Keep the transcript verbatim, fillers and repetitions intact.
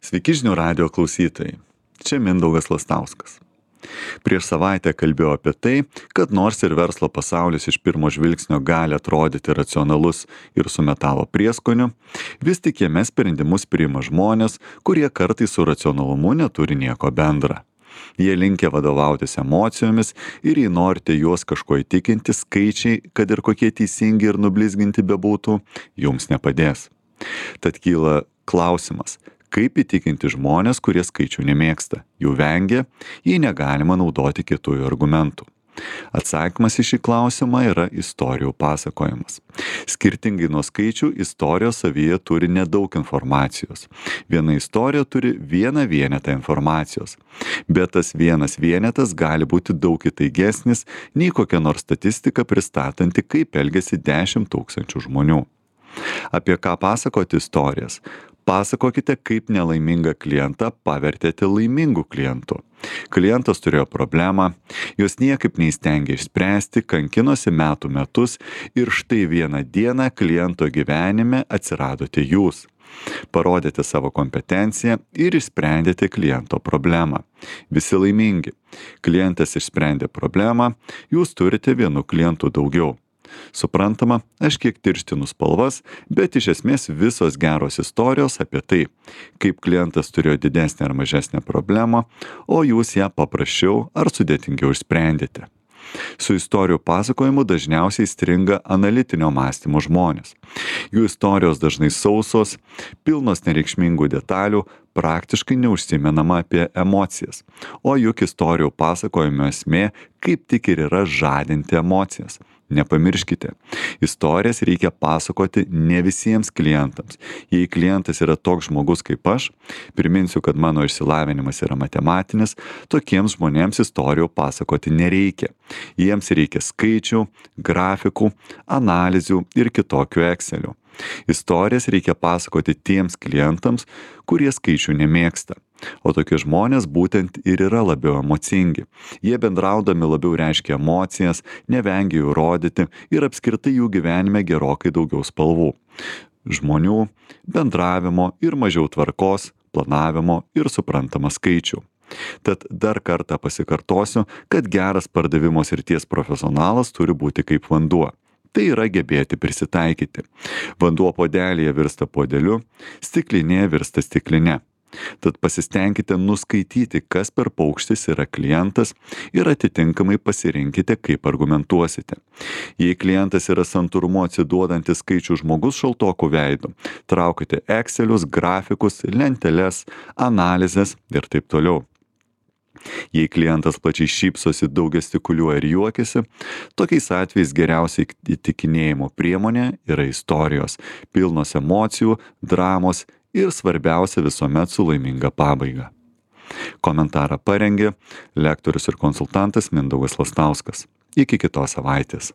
Sveiki žinių radijo klausytojai. Čia Mindaugas Lastauskas. Prieš savaitę kalbėjau apie tai, kad nors ir verslo pasaulis iš pirmo žvilgsnio gali atrodyti racionalus ir su metalo prieskoniu, vis tik jame sprendimus priima žmonės, kurie kartais su racionalumu neturi nieko bendra. Jie linkę vadovautis emocijomis ir jei norite juos kažko įtikinti, skaičiai, kad ir kokie teisingi ir nublizginti bebūtų, jums nepadės. Tad kyla klausimas, kaip įtikinti žmonės, kurie skaičių nemėgsta, jų vengia, jei negalima naudoti kietųjų argumentų. Atsakymas į šį klausimą yra istorijų pasakojimas. Skirtingai nuo skaičių, istorijos savyje turi nedaug informacijos. Viena istorija turi vieną vienetą informacijos, bet tas vienas vienetas gali būti daug įtaigesnis nei kokia nors statistika pristatanti, kaip elgiasi dešimt tūkstančių žmonių. Apie ką pasakoti istorijas? Pasakokite, kaip nelaimingą klientą pavertėte laimingu klientu. Klientas turėjo problemą, jos niekaip neįstengė išspręsti, kankinosi metų metus ir štai vieną dieną kliento gyvenime atsiradote jūs. Parodėte savo kompetenciją ir išsprendėte kliento problemą. Visi laimingi. Klientas išsprendė problemą, jūs turite vienu klientu daugiau. Suprantama, aš kiek tirštinu spalvas, bet iš esmės visos geros istorijos apie tai, kaip klientas turėjo didesnę ar mažesnę problemą, o jūs ją paprasčiau ar sudėtingiau išsprendėte. Su istorijų pasakojimu dažniausiai stringa analitinio mąstymo žmonės. Jų istorijos dažnai sausos, pilnos nereikšmingų detalių, praktiškai neužsimenama apie emocijas. O juk istorijų pasakojimo esmė kaip tik ir yra žadinti emocijas. Nepamirškite, istorijas reikia pasakoti ne visiems klientams. Jei klientas yra toks žmogus kaip aš, priminsiu, kad mano išsilavinimas yra matematinis, tokiems žmonėms istorijų pasakoti nereikia. Jiems reikia skaičių, grafikų, analizių ir kitokių Excelių. Istorijas reikia pasakoti tiems klientams, kurie skaičių nemėgsta. O tokie žmonės būtent ir yra labiau emocingi. Jie bendraudami labiau reiškia emocijas, nevengia jų rodyti ir apskritai jų gyvenime gerokai daugiau spalvų. Žmonių, bendravimo ir mažiau tvarkos, planavimo ir suprantama skaičių. Tad dar kartą pasikartosiu, kad geras pardavimo srities profesionalas turi būti kaip vanduo. Tai yra gebėti prisitaikyti. Vanduo puodelyje virsta puodeliu, stiklinėje virsta stikline. Tad pasistengkite nuskaityti, kas per paukštis yra klientas ir atitinkamai pasirinkite, kaip argumentuosite. Jei klientas yra santūrumu atsiduodantis skaičių žmogus šaltokų veidų, traukite Excelius, grafikus, lenteles, analizės ir taip toliau. Jei klientas plačiai šypsosi, daug gestikuliuoja ir juokiasi, tokiais atvejais geriausiai įtikinėjimo priemonė yra istorijos, pilnos emocijų, dramos ir svarbiausia visuomet su laiminga pabaiga. Komentarą parengė lektorius ir konsultantas Mindaugas Lastauskas. Iki kitos savaitės.